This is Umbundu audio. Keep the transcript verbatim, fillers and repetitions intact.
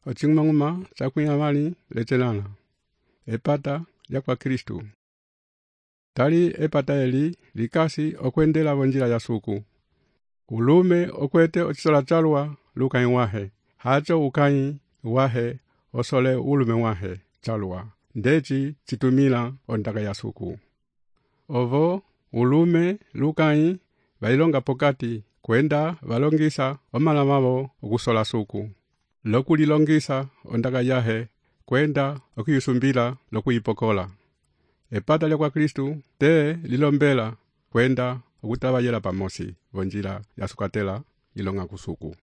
Oching'uma chakwia mali lechelana. Epata ya kwa Kristu. Tali epata eli likasi okwendela vonjila ya suku. Ulume okwete ochisola chalwa lukai wahe. Hacho ukai wahe osole ulume wahe chalwa. Ndechi chitumila ondaka ya suku. Ovo ulume lukai vailonga pokati kwenda valongisa omala mavo okusola suku. Lokuli longisa ondaka yahe kwenda okuyusumbila lokuyipokola. Epata lya kwa Kristu te lilombela kwenda okutabayela pamosi vonjila ya sukatela ilonga kusuku.